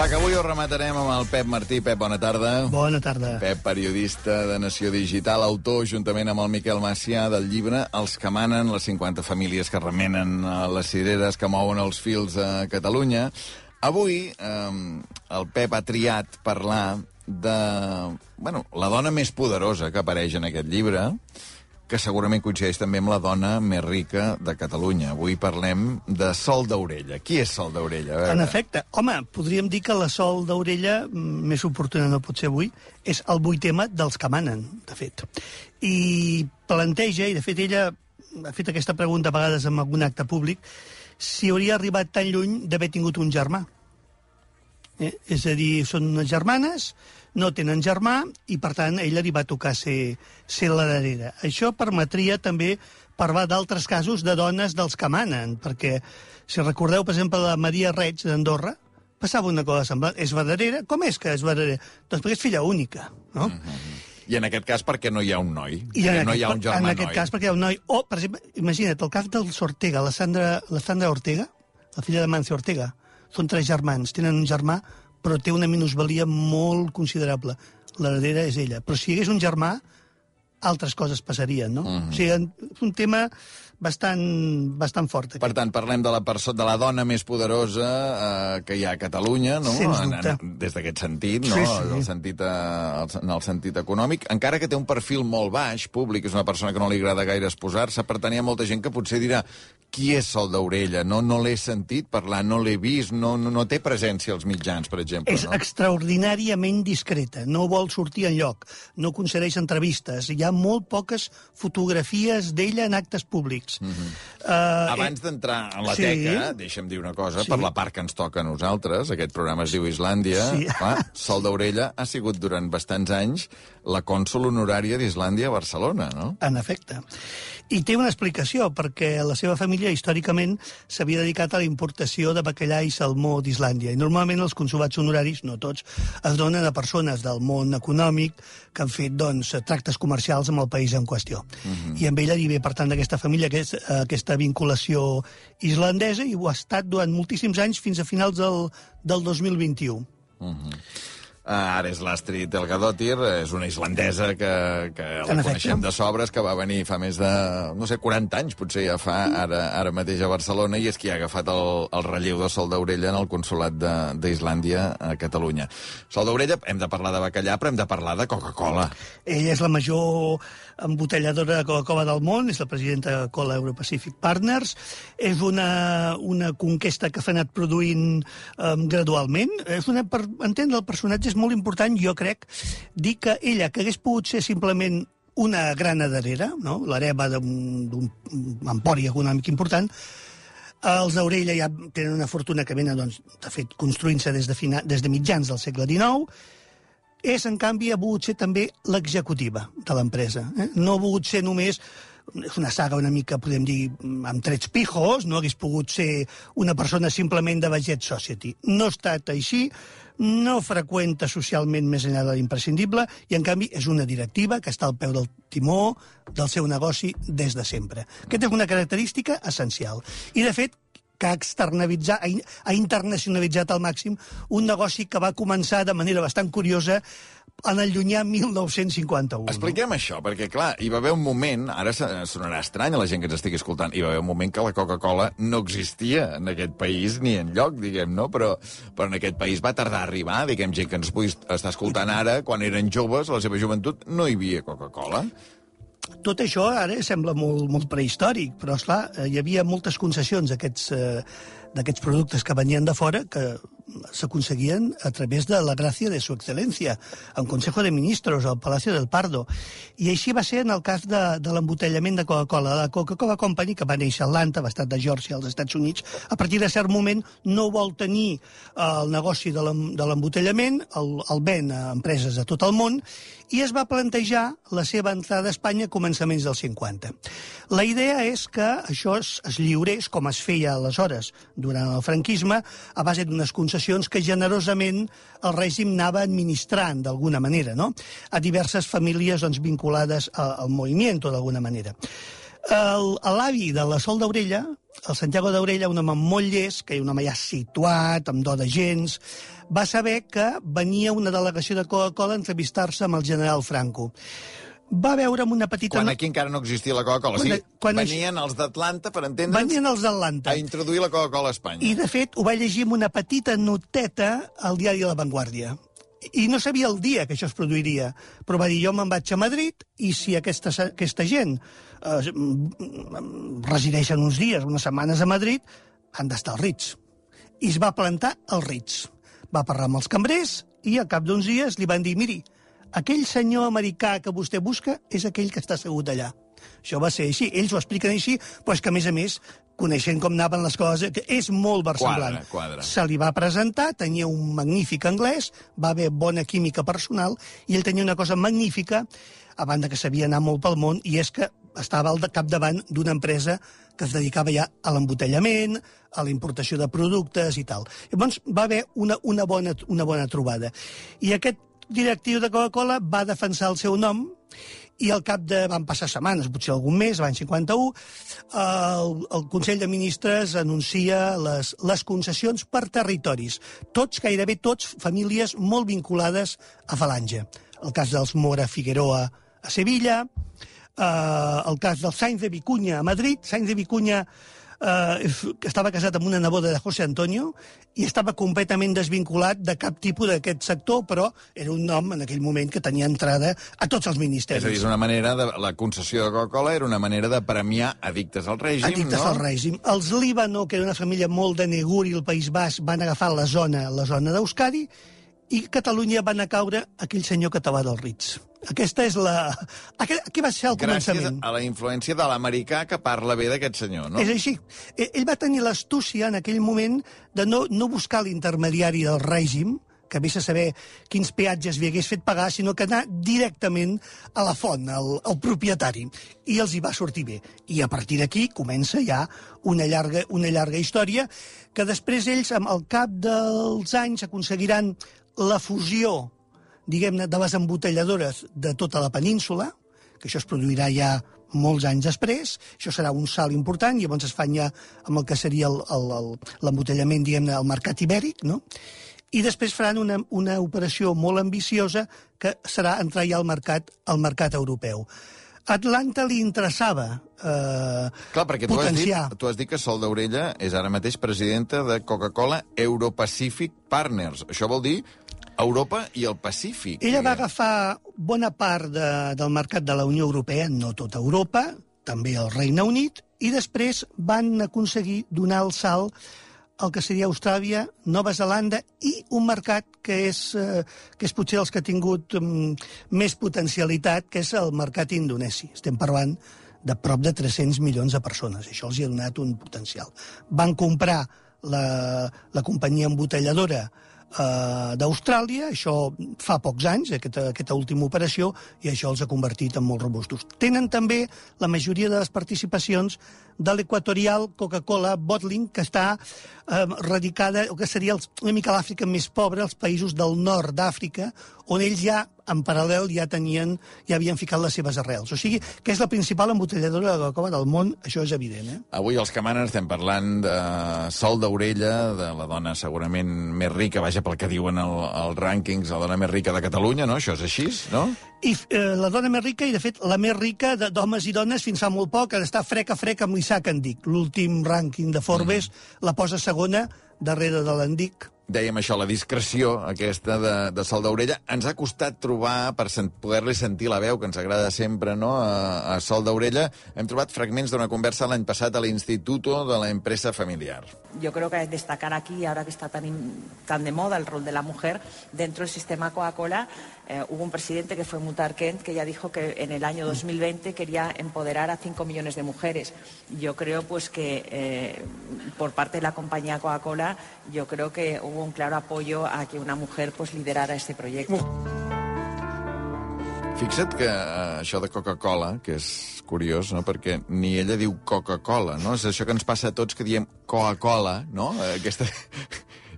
Va, que avui ho rematarem amb el Pep Martí. Pep, bona tarda. Bona tarda. Pep, periodista de Nació Digital, autor, juntament amb el Miquel Macià, del llibre Els que manen, les 50 famílies que remenen les cireres que mouen els fils a Catalunya. Avui el Pep ha triat parlar de la dona més poderosa que apareix en aquest llibre, que segurament coincideix també amb la dona més rica de Catalunya. Avui parlem de Sol Daurella. Qui és Sol Daurella? En efecte, home, podríem dir que la Sol Daurella, més oportuna no pot ser avui, és el 8 tema dels que manen, de fet. I planteja, i de fet ella ha fet aquesta pregunta a vegades en algun acte públic, si hauria arribat tan lluny d'haver tingut un germà. És a dir, són unes germanes, no tenen germà, i per tant ella li va tocar ser la darrera. Això permetria també parlar d'altres casos de dones dels que manen, perquè si recordeu, per exemple, la Maria Reig d'Andorra, passava una cosa semblant. És darrera? Com és que és darrera? Doncs perquè és filla única, no? I en aquest cas perquè no hi ha un noi, no hi ha un germà noi. En aquest cas perquè hi ha un noi. O, per exemple, imagina't, el cas dels Ortega, la Sandra Ortega, la filla de Mancio Ortega, són 3 germans, tenen un germà, però té una minusvalia molt considerable. L'heredera és ella. Però si hi hagués un germà, altres coses passarien, no? O sigui, és un tema bastant fort. Per tant, parlem de la dona més poderosa que hi ha a Catalunya, no? Sens dubte. Des d'aquest sentit, no? Sí. En el sentit econòmic. Encara que té un perfil molt baix, públic, és una persona que no li agrada gaire exposar-se, per tant hi ha molta gent que potser dirà qui és Sol Daurella? No l'he sentit parlar, no l'he vist, no té presència als mitjans, per exemple. És extraordinàriament discreta, no vol sortir enlloc, no concedeix entrevistes, hi ha molt poques fotografies d'ella en actes públics. Abans d'entrar en la teca, deixa'm dir una cosa, per la part que ens toca a nosaltres, aquest programa es diu Islàndia, Sol Daurella ha sigut durant bastants anys la cònsol honorària d'Islàndia a Barcelona, no? En efecte. I té una explicació, perquè la seva família històricament s'havia dedicat a la importació de bacallà i salmó d'Islàndia. I normalment els consolats honoraris, no tots, es donen a persones del món econòmic que han fet tractes comercials amb el país en qüestió. I amb ella hi ve, per tant, d'aquesta família aquesta vinculació islandesa, i ho ha estat durant moltíssims anys, fins a finals del 2021. Ara és l'Astrid Elgadóttir, és una islandesa que la coneixem de sobres, que va venir fa més de, 40 anys, potser ja fa, ara mateix a Barcelona, i és qui ha agafat el relleu de Sol Daurella en el consolat d'Islàndia a Catalunya. Sol Daurella, hem de parlar de bacallà, però hem de parlar de Coca-Cola. Ella és la major embotelladora de Coca-Cola del món, és la presidenta de Cola Euro-Pacific Partners, és una conquesta que s'ha anat produint gradualment. Per entendre el personatge és molt important, jo crec, dir que ella, que hagués pogut ser simplement una gran heredera, no? L'hereva d'un empori econòmic important, els Daurella ja tenen una fortuna que venen, de fet, construint-se des de mitjans del segle XIX, en canvi, ha volgut ser també l'executiva de l'empresa. No ha volgut ser només, és una saga una mica, podem dir, amb trets pijos, no hagués pogut ser una persona simplement de Baget Society. No ha estat així, no freqüenta socialment més enllà de l'imprescindible, i en canvi és una directiva que està al peu del timó del seu negoci des de sempre. Aquesta és una característica essencial. I, de fet, que ha internacionalitzat al màxim un negoci que va començar de manera bastant curiosa en el llunyà 1951. Expliquem això, perquè, clar, hi va haver un moment, ara sonarà estrany a la gent que ens estigui escoltant, hi va haver un moment que la Coca-Cola no existia en aquest país ni enlloc, diguem, no? Però en aquest país va tardar a arribar, diguem, gent que ens pugui estar escoltant ara, quan eren joves, a la seva joventut, no hi havia Coca-Cola. Tot això ara sembla molt prehistòric, però, esclar, hi havia moltes concessions d'aquests productes que venien de fora que s'aconseguien a través de la gràcia de su excel·lència, en Consejo de Ministros, al Palacio del Pardo. I així va ser en el cas de l'embotellament de Coca-Cola. La Coca-Cola Company, que va néixer a Atlanta, a l'estat de Geòrgia, als Estats Units, a partir de cert moment no vol tenir el negoci de l'embotellament, el ven a empreses a tot el món, i es va plantejar la seva entrada a Espanya a començaments dels 50. La idea és que això es lliurés, com es feia aleshores durant el franquisme, a base d'unes concessions que generosament el règim anava administrant d'alguna manera, no? A diverses famílies vinculades al moviment, d'alguna manera. L'avi de la Sol Daurella el Santiago d'Aurella, un home molt llest, que un home ja situat, amb do de gens, va saber que venia una delegació de Coca-Cola a entrevistar-se amb el general Franco. Va veure amb una petita... Quan aquí encara no existia la Coca-Cola. Venien els d'Atlanta, per entendre'ns... Venien els d'Atlanta. A introduir la Coca-Cola a Espanya. I, de fet, ho va llegir amb una petita noteta al diari La Vanguardia. I no sabia el dia que això es produiria, però va dir, jo me'n vaig a Madrid i si aquesta gent resideixen uns dies, unes setmanes a Madrid, han d'estar als Ritz. I es va plantar als Ritz. Va parlar amb els cambrers i al cap d'uns dies li van dir, miri, aquell senyor americà que vostè busca és aquell que està assegut allà. Això va ser així. Ells ho expliquen així, però és que, a més, coneixent com anaven les coses, que és molt versemblant. Quadra. Se li va presentar, tenia un magnífic anglès, va haver bona química personal, i ell tenia una cosa magnífica, a banda que sabia anar molt pel món, i és que estava al capdavant d'una empresa que es dedicava ja a l'embotellament, a la importació de productes i tal. Llavors va haver una bona trobada. I aquest directiu de Coca-Cola va defensar el seu nom, i al cap de... van passar setmanes, potser algun mes, l'any 51, el Consell de Ministres anuncia les concessions per territoris. Gairebé tots, famílies molt vinculades a Falange. El cas dels Mora Figueroa a Sevilla, el cas del Sainz de Vicuña a Madrid. Sainz de Vicuña que estava casat amb una neboda de José Antonio i estava completament desvinculat de cap tipus d'aquest sector, però era un nom en aquell moment que tenia entrada a tots els ministeris. És a dir, és una manera la concessió de Coca-Cola era una manera de premiar addictes al règim, addictes al règim. Els Líbano, que era una família molt de Neguri, el País Basc, van agafar la zona d'Euskadi, i Catalunya van a caure aquell senyor català del Ritz. Aquesta és Aquí va ser el començament. Gràcies a la influència de l'americà que parla bé d'aquest senyor, no? És així. Ell va tenir l'astúcia en aquell moment de no buscar l'intermediari del règim, que vés a saber quins peatges li hagués fet pagar, sinó que anar directament a la font, al propietari. I els hi va sortir bé. I a partir d'aquí comença ja una llarga història que després ells, al cap dels anys, aconseguiran la fusió, diguem-ne, de les embotelladores de tota la península, que això es produirà ja molts anys després, això serà un salt important, i llavors es fan ja amb el que seria l'embotellament, diguem-ne, al mercat ibèric, no? I després faran una operació molt ambiciosa que serà entrar ja al mercat europeu. A Atlanta li interessava Clar, perquè potenciar. Tu has dit que Sol d'Aurella és ara mateix presidenta de Coca-Cola Euro-Pacific Partners. Això vol dir Europa i el Pacífic. Ella va agafar bona part del mercat de la Unió Europea, no tota Europa, també el Regne Unit, i després van aconseguir donar el salt el que seria Austràlia, Nova Zelanda i un mercat que és potser els que ha tingut més potencialitat, que és el mercat indonesi. Estem parlant de prop de 300 milions de persones. Això els ha donat un potencial. Van comprar la companyia embotelladora d'Austràlia, això fa pocs anys, aquesta última operació, i això els ha convertit en molt robustos. Tenen també la majoria de les participacions de l'Equatorial Coca-Cola Bottling, que està radicada, o que seria una mica l'Àfrica més pobra, els països del nord d'Àfrica, on ells ja, en paral·lel, ja havien ficat les seves arrels. O sigui, que és la principal embotelladora de Coca-Cola del món, això és evident. Avui als que manen estem parlant de Sol d'Aurella, de la dona segurament més rica, vaja, pel que diuen els rànquings, la dona més rica de Catalunya, no? Això és així, no? I la dona més rica, i de fet la més rica d'homes i dones fins fa molt poc, està frec a frec amb l'Isaac Endic. L'últim rànquing de Forbes la posa segona darrere de l'Endic. Dèiem això, la discreció aquesta de Sol d'Aurella. Ens ha costat trobar, per poder-li sentir la veu, que ens agrada sempre, no?, a Sol d'Aurella. Hem trobat fragments d'una conversa l'any passat a l'Instituto de la Empresa Familiar. Yo creo que destacar aquí, ahora que está tan de moda el rol de la mujer dentro del sistema Coca-Cola, hubo un presidente que fue Muhtar Kent, que ya dijo que en el año 2020 quería empoderar a 5 millones de mujeres. Yo creo pues que por parte de la compañía Coca-Cola, yo creo que hubo un claro apoyo a que una mujer pues liderara este proyecto. Fixa't que això de Coca-Cola, que és curiós, no?, perquè ni ella diu Coca-Cola, no? És això que ens passa a tots, que diem Coca-Cola, no?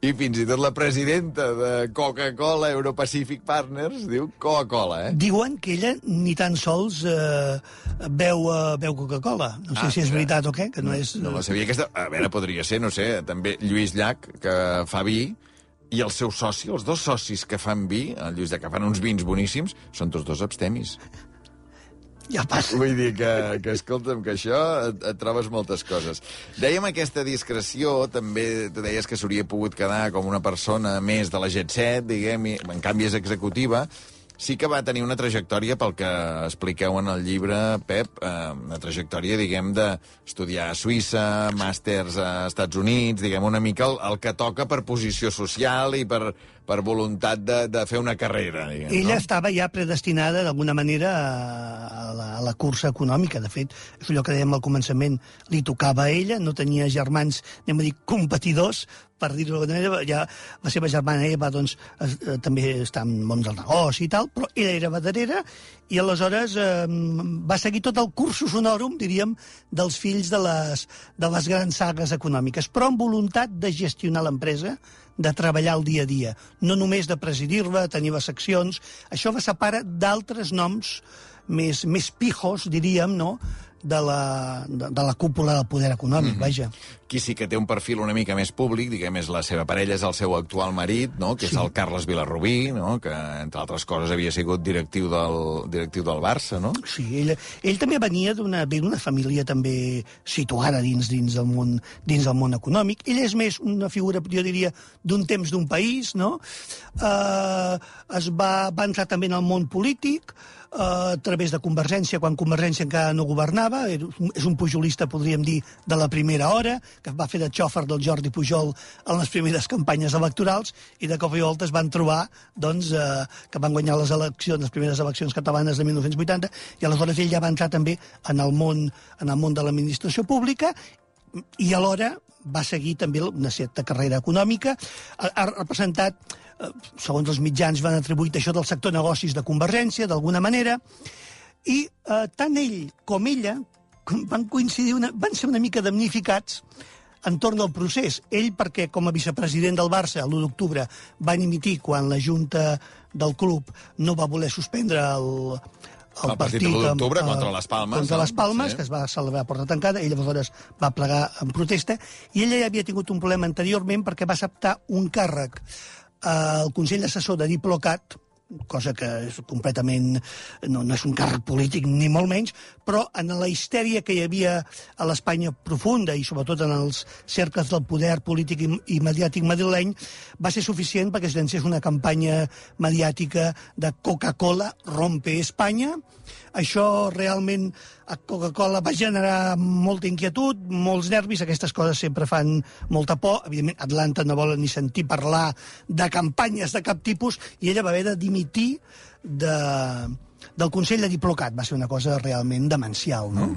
I fins i tot la presidenta de Coca-Cola Euro-Pacific Partners diu Coca-Cola, Diuen que ella ni tan sols beu Coca-Cola. No sé si és veritat o què, que no és... No la sabia aquesta... A veure, podria ser, no sé, també Lluís Llach, que fa vi, i el seu soci, els dos socis que fan vi, el Lluís Llach, que fan uns vins boníssims, són tots dos abstemis. Ja passa. Vull dir que escolta'm, que això et trobes moltes coses. Dèiem aquesta discreció, també tu deies que s'hauria pogut quedar com una persona més de la Jet Set, diguem, i en canvi és executiva. Sí que va tenir una trajectòria, pel que expliqueu en el llibre, Pep, una trajectòria, diguem, d'estudiar a Suïssa, màsters a Estats Units, diguem, una mica el que toca per posició social i per voluntat de fer una carrera, diguem. Ella estava ja predestinada, d'alguna manera, a la cursa econòmica. De fet, és allò que dèiem al començament, li tocava a ella, no tenia germans, anem a dir, competidors, per dir-ho d'alguna manera. Ja la seva germana Eva, doncs, també està en món del negoci i tal, però ella era badarera i aleshores va seguir tot el cursus honorum, diríem, dels fills de les grans sagues econòmiques, però amb voluntat de gestionar l'empresa, de treballar el dia a dia, no només de presidir-la, tenir les seccions. Això va separar d'altres noms més pijos, diríem, no?, de la cúpula del poder econòmic, vaja. Qui sí que té un perfil una mica més públic, diguem, és la seva parella, és el seu actual marit, no?, que és el Carles Vilarrubí, no?, que, entre altres coses, havia sigut directiu del Barça, no? Sí, ell també venia d'una família també situada dins del món econòmic. Ell és més una figura, jo diria, d'un temps d'un país, no? Va entrar també en el món polític, a través de Convergència, quan Convergència encara no governava. És un pujolista, podríem dir, de la primera hora, que va fer de xòfer del Jordi Pujol en les primeres campanyes electorals, i de cop i volta es van trobar, doncs, que van guanyar les primeres eleccions catalanes de 1980, i aleshores ell ja va entrar també en el món de l'administració pública, i alhora va seguir també una certa carrera econòmica. Ha representat, segons els mitjans, van atribuir això del sector negocis de Convergència, d'alguna manera, i tant ell com ella van coincidir, van ser una mica damnificats entorn del procés. Ell perquè, com a vicepresident del Barça, l'1 d'octubre, va dimitir quan la Junta del club no va voler suspendre el partit de l'1 d'octubre contra les Palmes. Contra les Palmes, que es va celebrar a porta tancada. Ell aleshores va plegar en protesta, i ella ja havia tingut un problema anteriorment perquè va acceptar un càrrec al Consell Assessor de Diplocat, cosa que és completament... no és un càrrec polític, ni molt menys, però en la histèria que hi havia a l'Espanya profunda, i sobretot en els cercles del poder polític i mediàtic madrileny, va ser suficient perquè es llancés una campanya mediàtica de Coca-Cola rompe Espanya. Això realment a Coca-Cola va generar molta inquietud, molts nervis. Aquestes coses sempre fan molta por. Evidentment, Atlanta no vol ni sentir parlar de campanyes de cap tipus, i ella va haver de dimitir del Consell de Diplocat. Va ser una cosa realment demencial, no?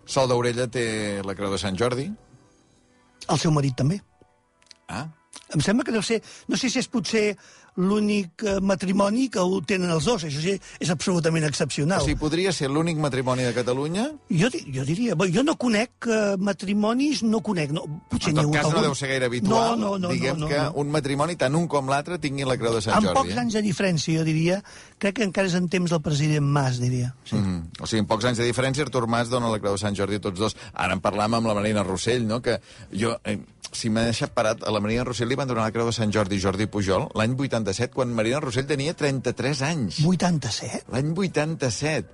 Sol d'Orella té la Creu de Sant Jordi? El seu marit també. Ah. Em sembla que no sé si és potser l'únic matrimoni que ho tenen els dos. Això sí, és absolutament excepcional. O sigui, podria ser l'únic matrimoni de Catalunya? Jo diria... Jo no conec matrimonis, no conec. No, potser en tot cas, no deu ser gaire habitual. Diguem que un matrimoni, tant un com l'altre, tingui la Creu de Sant Jordi. Amb pocs anys de diferència, jo diria. Crec que encara és en temps del president Mas, diria. Sí. O sigui, en pocs anys de diferència, Artur Mas dona la Creu de Sant Jordi a tots dos. Ara en parlàvem amb la Marina Rossell, no?, que jo... si m'ha deixat parat, a la Marina Rossell li van donar la Creu de Sant Jordi Jordi Pujol l'any 87, quan Marina Rossell tenia 33 anys. 87? L'any 87.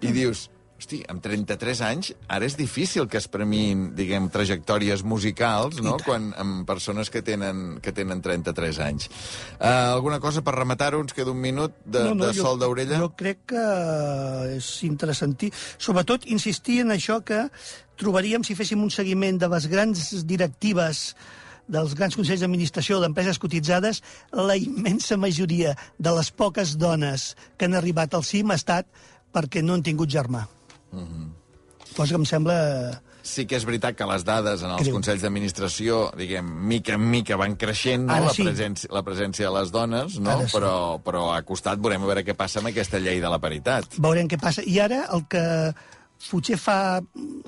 I dius, hosti, amb 33 anys, ara és difícil que es premin, diguem, trajectòries musicals, no?, quan amb persones que tenen 33 anys. Alguna cosa per rematar-ho? Ens queda un minut de Sol d'Orella? Jo crec que és interessantíssim. Sobretot, insistir en això que trobaríem, si féssim un seguiment de les grans directives dels grans consells d'administració d'empreses cotitzades, la immensa majoria de les poques dones que han arribat al cim ha estat perquè no han tingut germà. Cosa que em sembla... Sí que és veritat que les dades en els consells d'administració, diguem, mica en mica van creixent, no? La presència de les dones, no? Però a costat veurem a veure què passa amb aquesta llei de la paritat. Veurem què passa. I ara el que potser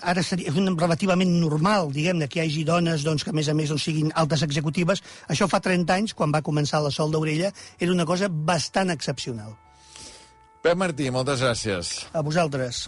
ara és relativament normal, diguem-ne, que hi hagi dones doncs, que a més siguin altes executives. Això fa 30 anys, quan va començar la Sol d'Orella, era una cosa bastant excepcional. Pep Martí, moltes gràcies. A vosaltres.